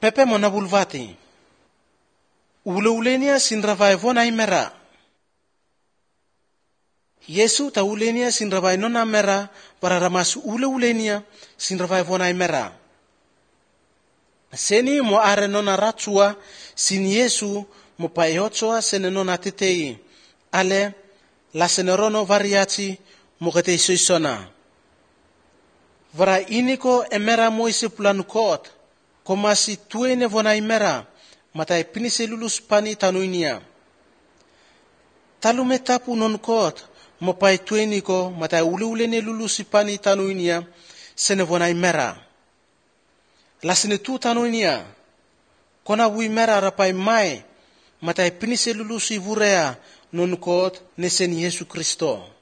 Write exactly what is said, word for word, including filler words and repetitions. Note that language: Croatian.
Pepe mona bulvati. Ule-ulenia sinravai vona imera. Yesu ta ulenia sinravai nona mera para ramas ule-ulenia sinravai vona imera. Seni mo are nona ratsua sin Yesu mo paeotsoa sene nona tetei. Ale la senerono variaci mo kete soisona. Vara iniko emera moise planukot. Komasi tuene vona imera. Matai pinise lulus pani tanuinia. Talume tapu non kot. Mopai tueniko matai ule-ulene lulus pani tanuinia. Sene vona imera. Lasene tu tanuinia. Kona wu imera rapai mai. Matai pinise lulus ivurea non kot nesen Yesu Kristo.